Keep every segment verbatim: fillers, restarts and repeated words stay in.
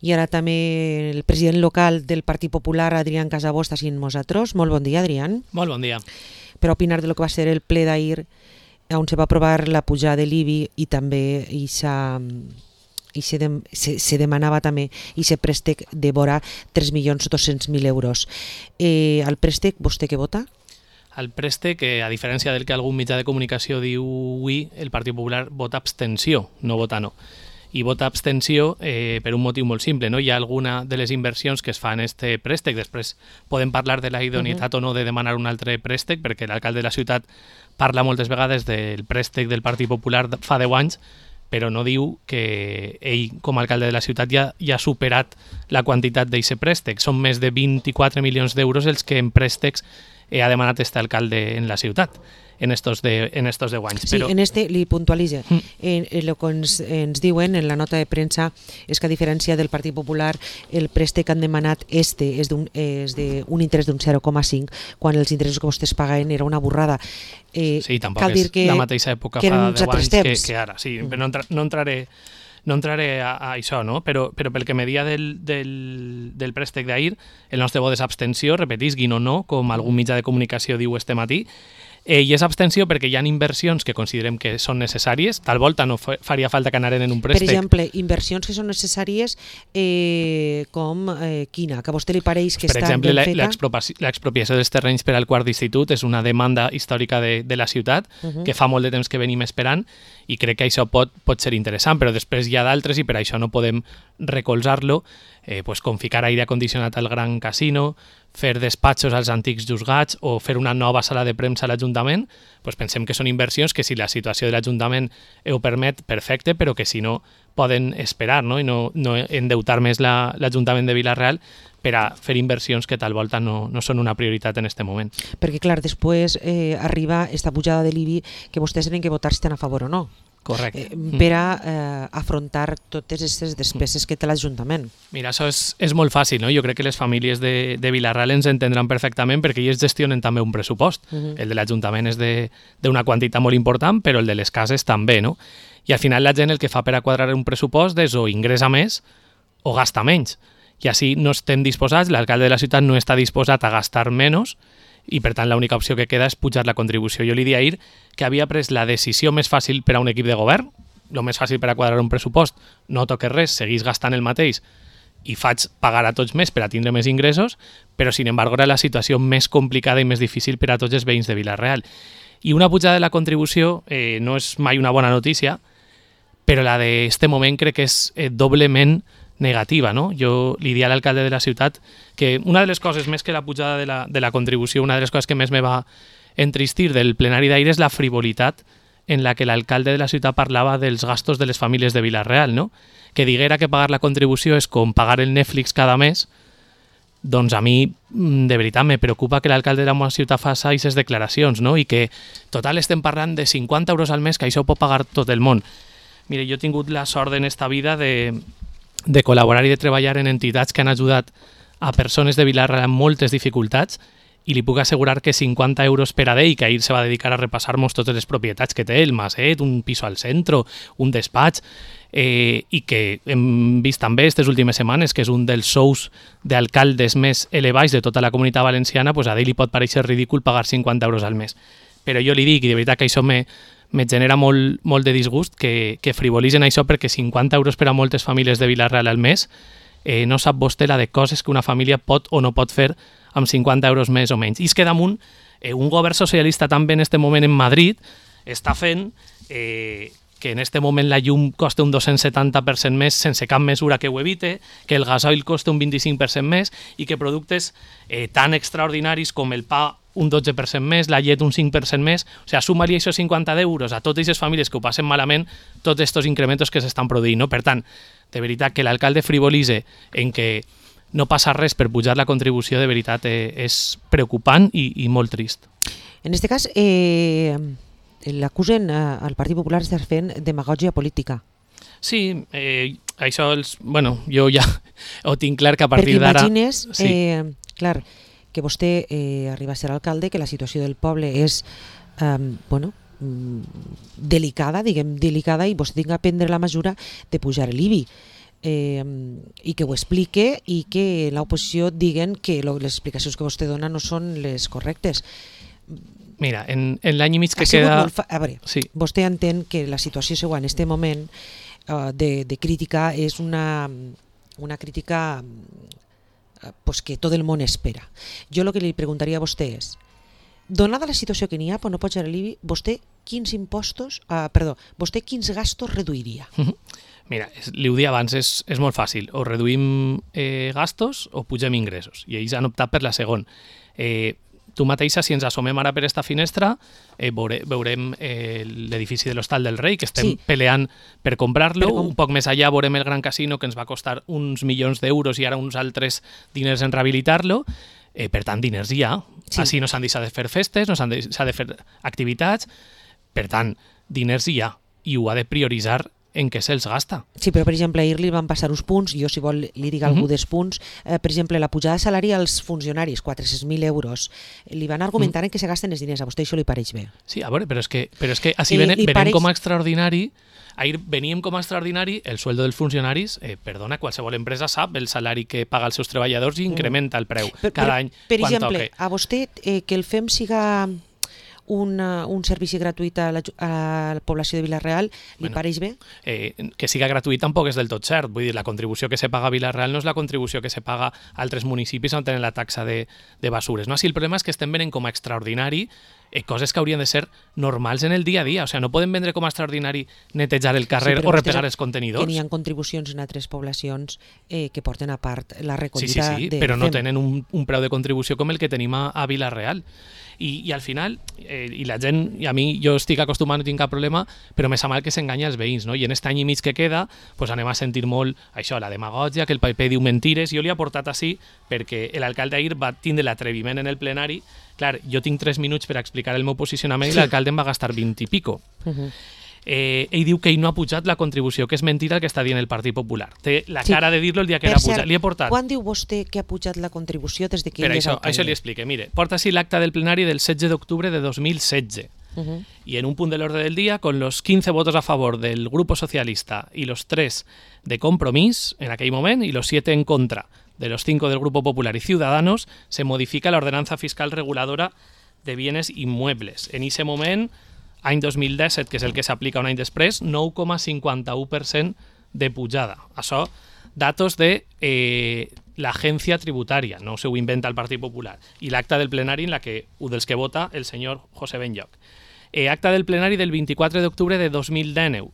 I ara també el president local del Partit Popular, Adrián Casabó, està sent nosaltres. Molt bon dia, Adrián. Molt bon dia. Per opinar de lo que va ser el ple d'ahir, on se va aprovar la pujada de l'I B I i també i i se, de, se, se demanava també i se préstec de vora tres milions dos-cents mil euros. Eh, el préstec, vostè què vota? El préstec, eh, a diferència del que algun mitjà de comunicació diu avui, el Partit Popular vota abstenció, no vota no. I vota abstenció eh, per un motiu molt simple, no? Hi ha alguna de les inversions que es fan en este préstec, després podem parlar de la idoneïtat uh -huh. o no de demanar un altre préstec, perquè l'alcalde de la ciutat parla moltes vegades del préstec del Partit Popular fa deu anys, però no diu que ell, com a alcalde de la ciutat, ja, ja ha superat la quantitat d'aquest préstec. Són més de vint-i-quatre milions d'euros els que en préstecs eh, ha demanat este alcalde en la ciutat en estos, de, en estos deu anys. Sí, però... en este li puntualitza. Mm. En, en lo que ens, ens diuen en la nota de premsa és que a diferència del Partit Popular el préstec que han demanat este és d'un interès d'un zero coma cinc quan els interessos que vostès paguen era una borrada. Eh, sí, tampoc cal és dir que, la mateixa època que fa deu anys que, temps. que ara. Sí, mm. no, entra, no entraré no entraré a, a això, no? però, però pel que me dia del, del, del préstec d'ahir, el nostre vot és abstenció, repetisguin o no, com algun mitjà de comunicació diu este matí. Eh, I és abstenció perquè hi ha inversions que considerem que són necessàries, tal volta no faria falta que anaren en un préstec. Per exemple, inversions que són necessàries eh, com eh, quina? Que a vostè li pareix que per està exemple, ben feta? L'expropiació dels terrenys per al quart d'institut és una demanda històrica de, de la ciutat uh -huh. que fa molt de temps que venim esperant i crec que això pot, pot ser interessant, però després hi ha d'altres i per això no podem recolzar-lo, eh, pues, com ficar aire acondicionat al Gran Casino, fer despatxos als antics juzgats o fer una nova sala de premsa a l'Ajuntament, pues pensem que són inversions que si la situació de l'Ajuntament ho permet, perfecte, però que si no poden esperar, no? I no, no endeutar més l'Ajuntament la, de Vila-real per a fer inversions que tal volta no, no són una prioritat en aquest moment. Perquè clar, després eh, arriba esta pujada de l'I B I que vostès tenen que votar si estan a favor o no. Correcte. Eh, per a eh, afrontar totes aquestes despeses que té l'Ajuntament. Mira, això és, és molt fàcil, no? Jo crec que les famílies de, de Vila-real ens entendran perfectament perquè ells gestionen també un pressupost. Uh -huh. El de l'Ajuntament és d'una quantitat molt important, però el de les cases també, no? I al final la gent el que fa per a quadrar un pressupost és o ingressa més o gasta menys. I així no estem disposats, l'alcalde de la ciutat no està disposat a gastar menys i per tant l'única opció que queda és pujar la contribució. Jo li dia ahir que havia pres la decisió més fàcil per a un equip de govern, el més fàcil per a quadrar un pressupost, no toques res, seguís gastant el mateix i faig pagar a tots més per a tindre més ingressos, però sin embargo era la situació més complicada i més difícil per a tots els veïns de Vila-real. I una pujada de la contribució eh, no és mai una bona notícia, però la d'este moment crec que és eh, doblement negativa, no? Jo li dia a l'alcalde de la ciutat que una de les coses, més que la pujada de la, de la contribució, una de les coses que més me va entristir del plenari d'ahir és la frivolitat en la que l'alcalde de la ciutat parlava dels gastos de les famílies de Vila-real, no? Que diguera que pagar la contribució és com pagar el Netflix cada mes, doncs a mi, de veritat, me preocupa que l'alcalde de la meva ciutat faci aquestes declaracions, no? I que, total, estem parlant de cinquanta euros al mes, que això ho pot pagar tot el món. Mire, jo he tingut la sort en esta vida de de col·laborar i de treballar en entitats que han ajudat a persones de Vila-real amb moltes dificultats i li puc assegurar que cinquanta euros per a ell, que ahir se va dedicar a repassar-nos totes les propietats que té, el maset, un piso al centre, un despatx, eh, i que hem vist també aquestes últimes setmanes que és un dels sous d'alcaldes més elevats de tota la comunitat valenciana, pues a ell li pot pareixer ridícul pagar cinquanta euros al mes. Però jo li dic, i de veritat que això me me genera molt, molt de disgust que, que frivolitzen això perquè cinquanta euros per a moltes famílies de Vila-real al mes eh, no sap vostè la de coses que una família pot o no pot fer amb cinquanta euros més o menys. I és que damunt eh, un govern socialista també en este moment en Madrid està fent eh, que en este moment la llum costa un dos-cents setanta per cent més sense cap mesura que ho evite, que el gasoil costa un vint-i-cinc per cent més i que productes eh, tan extraordinaris com el pa un dotze per cent més, la llet un cinc per cent més, o sigui, suma-li això cinquanta d'euros a totes aquestes famílies que ho passen malament, tots aquests incrementos que s'estan produint, no? Per tant, de veritat, que l'alcalde frivolitze en que no passa res per pujar la contribució, de veritat, eh, és preocupant i, i molt trist. En aquest cas, eh, l'acusen eh, al Partit Popular d'estar fent demagògia política. Sí, eh, això, els, bueno, jo ja ho tinc clar que a partir d'ara... Perquè imagines, sí. eh, clar, que vostè eh, arriba a ser alcalde, que la situació del poble és eh, bueno, delicada, diguem delicada, i vostè tinga a prendre la mesura de pujar l'I B I. eh, i que ho explique i que l'oposició diguen que lo, les explicacions que vostè dona no són les correctes. Mira, en, en l'any i mig que ha sigut queda... molt fa... A veure, sí. Vostè entén que la situació seva en aquest moment uh, de, de crítica és una, una crítica uh, pues que tot el món espera. Jo el que li preguntaria a vostè és, donada la situació que n'hi ha, però no pot ser l'I B I, vostè quins impostos, uh, perdó, vostè quins gastos reduiria? Uh -huh. Mira, és, li ho dia abans, és, és molt fàcil. O reduïm eh, gastos o pugem ingressos. I ells han optat per la segona. Eh, tu mateixa, si ens assomem ara per esta finestra, eh, veure, veurem eh, l'edifici de l'Hostal del Rei, que estem sí. peleant per comprar-lo. Per com... Un poc més allà veurem el Gran Casino, que ens va costar uns milions d'euros i ara uns altres diners en rehabilitar-lo. Eh, per tant, diners hi ha. Sí. Així no s'han deixat de fer festes, no s'han deixat de fer activitats. Per tant, diners hi ha. I ho ha de prioritzar en què se'ls gasta. Sí, però per exemple ahir li van passar uns punts, jo si vol li dic algú uh -huh. dels punts, eh, per exemple la pujada de salari als funcionaris, quatre-cents mil euros, li van argumentar uh -huh. en què se gasten els diners, a vostè això li pareix bé? Sí, a veure, però és que, però és que així eh, venem, venem pareix... com a extraordinari, ahir veníem com a extraordinari el sueldo dels funcionaris, eh, perdona, qualsevol empresa sap el salari que paga als seus treballadors i incrementa el preu per, cada per, any per quan exemple, toque. A vostè eh, que el F E M siga Una, un servici gratuït a la, a la població de Vila-real, li bueno, pareix bé? Eh, que siga gratuït tampoc és del tot cert. Vull dir, la contribució que se paga a Vila-real no és la contribució que se paga a altres municipis on tenen la taxa de, de basures. No? Si el problema és que estem venent com a extraordinari eh, coses que haurien de ser normals en el dia a dia. O sigui, no podem vendre com a extraordinari netejar el carrer sí, o repegar els contenidors. Que n'hi ha contribucions en altres poblacions eh, que porten a part la recollida. Sí, sí, sí, de però no tenen un, un preu de contribució com el que tenim a, a Vila-real. I, i al final, eh, i la gent, i a mi jo estic acostumat, no tinc cap problema, però més a mal que s'enganya els veïns, no? I en aquest any i mig que queda pues anem a sentir molt això, la demagògia, que el P P diu mentires. Jo li he portat així perquè l'alcalde ahir va tindre l'atreviment en el plenari. Clar, jo tinc tres minuts per explicar el meu posicionament sí. i l'alcalde em va gastar vint i pico. Uh -huh. Eh, ell diu que ell no ha pujat la contribució, que és mentira el que està dient el Partit Popular. Té la sí. cara de dir-lo el dia que l'ha pujat. Li he portat... Quan diu vostè que ha pujat la contribució des de que per ell això, és alcalde? Això li explique. Mire, porta així l'acta del plenari del setze d'octubre de dos mil setze. Uh -huh. Y en un punto del orden del día, con los quince votos a favor del Grupo Socialista y los tres de Compromís en aquell moment y los siete en contra de los cinco del Grupo Popular y Ciudadanos, se modifica la ordenanza fiscal reguladora de bienes inmuebles. En ese moment, any dos mil disset, que és el que s'aplica un any després, nou coma cinquanta-u per cent de pujada. Això, datos de eh, l'agència tributària, no se ho inventa el Partit Popular, i l'acta del plenari en la que, un dels que vota el senyor José Benlloch. Eh, acta del plenari del vint-i-quatre d'octubre de dos mil dinou.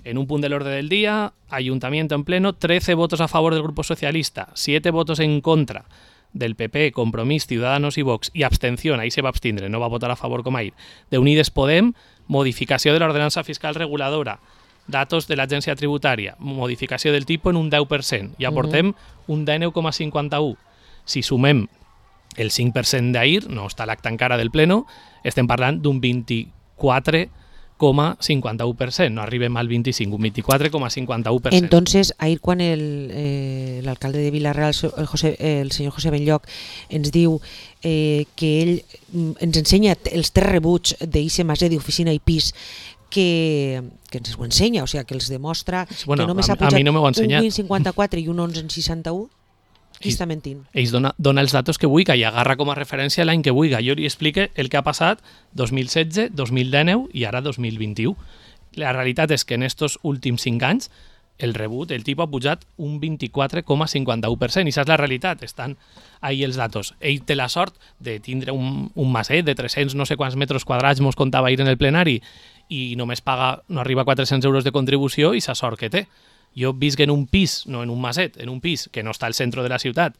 En un punt de l'ordre del dia, Ayuntamiento en pleno, trece votos a favor del Grupo Socialista, siete votos en contra del P P, Compromís, Ciudadanos i Vox, i abstenció, ahí se va abstindre, no va votar a favor com ahir, de Unides Podem, modificació de l'ordenança fiscal reguladora, datos de l'agència tributària, modificació del tipus en un deu per cent, i aportem uh-huh. un dinou coma cinquanta-u. Si sumem el cinc per cent d'ahir, no està l'acte encara del pleno, estem parlant d'un vint-i-quatre coma cinquanta-u per cent, no arribem al vint-i-cinc, un vint-i-quatre coma cinquanta-u per cent. Entonces, ahir quan el, eh, l'alcalde de Vila-real, el, José, el senyor José Benlloch, ens diu eh, que ell ens ensenya els tres rebuts d'I C Maset d'oficina i pis, que, que ens ho ensenya, o sigui, que els demostra bueno, que només a, ha pujat no un vint coma cinquanta-quatre i un onze coma seixanta-u. Qui està mentint? Ells dona, dona els datos que vulgui i agarra com a referència l'any que vulgui. Jo li explique el que ha passat dos mil setze, dos mil dinou i ara dos mil vint-i-u. La realitat és que en estos últims cinc anys el rebut, el tipus ha pujat un vint-i-quatre coma cinquanta-u per cent i això és la realitat, estan ahí els datos. Ell té la sort de tindre un, un maset de tres-cents no sé quants metres quadrats, mos contava ahir en el plenari, i només paga, no arriba a quatre-cents euros de contribució i la sort que té. Jo visc en un pis, no en un maset, en un pis que no està al centre de la ciutat,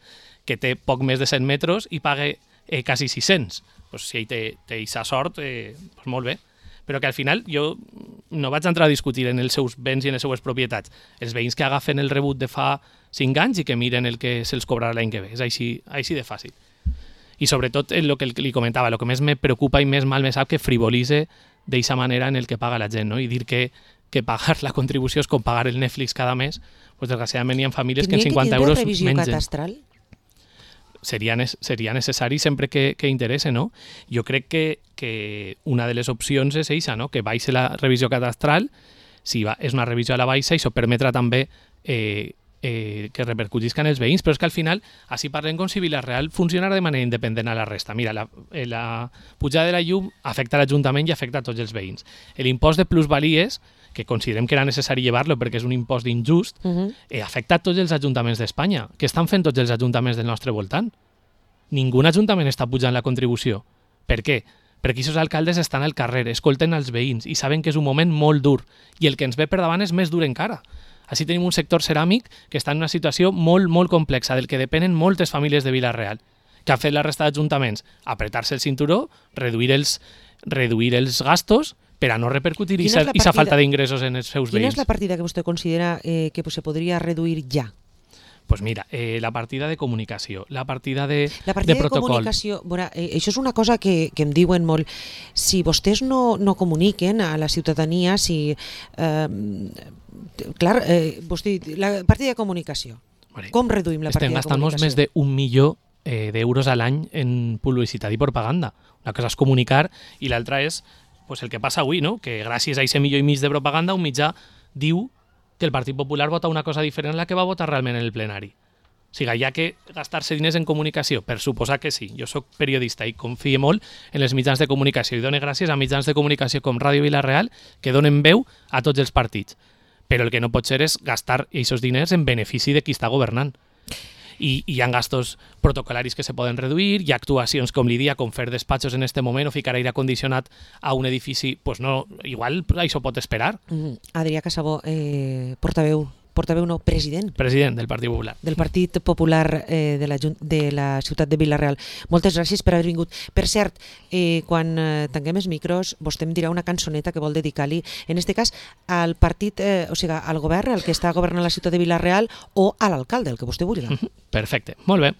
que té poc més de cent metres i paga eh, quasi sis-cents. Pues si ell té aquesta sort, eh, pues molt bé. Però que al final jo no vaig entrar a discutir en els seus béns i en les seues propietats. Els veïns que agafen el rebut de fa cinc anys i que miren el que se'ls cobrarà l'any que ve. És així, així de fàcil. I sobretot el que li comentava, el que més me preocupa i més mal me sap que frivolitze d'aquesta manera en el que paga la gent, no? I dir que que pagar la contribució és com pagar el Netflix cada mes, pues desgraciadament hi ha famílies que en cinquanta euros mengen. Tindria que tindre revisió catastral? Seria, seria necessari sempre que, que interessa, no? Jo crec que, que una de les opcions és eixa, no? Que baixe la revisió catastral, si va, és una revisió a la baixa, i això permetrà també eh, eh, que repercutisca en els veïns, però és que al final així parlem com si Vila-real funcionara de manera independent a la resta. Mira, la, la pujada de la llum afecta l'Ajuntament i afecta a tots els veïns. L'impost de plusvalies, que considerem que era necessari llevar-lo perquè és un impost injust, uh-huh. eh, afecta a tots els ajuntaments d'Espanya. Què estan fent tots els ajuntaments del nostre voltant? Ningú ajuntament està pujant la contribució. Per què? Perquè aquests alcaldes estan al carrer, escolten els veïns i saben que és un moment molt dur i el que ens ve per davant és més dur encara. Així tenim un sector ceràmic que està en una situació molt, molt complexa, del que depenen moltes famílies de Vila-real. Què ha fet la resta d'ajuntaments? Apretar-se el cinturó, reduir els, reduir els gastos per a no repercutir aquesta falta d'ingressos en els seus veïns. Quina és la partida que vostè considera eh, que se podria reduir ja? Pues mira, eh, la partida de comunicació, la partida de, la partida de protocol. De comunicació, veure, eh, això és una cosa que, que em diuen molt. Si vostès no, no comuniquen a la ciutadania, si... Eh, clar, eh, vostè, la partida de comunicació. Vale. Com reduïm la partida de comunicació? Estem gastant més d'un milió eh, d'euros a l'any en publicitat i propaganda. Una cosa és comunicar i l'altra és pues, el que passa avui, no? Que gràcies a aquest milió i mig de propaganda un mitjà diu que el Partit Popular vota una cosa diferent a la que va votar realment en el plenari. O sigui, hi ha que gastar-se diners en comunicació? Per suposar que sí. Jo soc periodista i confio molt en els mitjans de comunicació i dono gràcies a mitjans de comunicació com Ràdio Vila-real que donen veu a tots els partits. Però el que no pot ser és gastar aquests diners en benefici de qui està governant. I hi ha gastos protocolaris que se poden reduir, hi ha actuacions com l'I D I A, com fer despatxos en este moment o ficar aire condicionat a un edifici, pues no, igual això pot esperar. Mm-hmm. Adrià Casabó, eh, portaveu, portaveu no, president. President del Partit Popular. Del Partit Popular eh, de, la, de la ciutat de Vila-real. Moltes gràcies per haver vingut. Per cert, eh, quan eh, tanquem els micros, vostè em dirà una cançoneta que vol dedicar-li, en este cas, al partit, eh, o sigui, al govern, al que està governant la ciutat de Vila-real, o a l'alcalde, el que vostè vulgui. Perfecte, molt bé.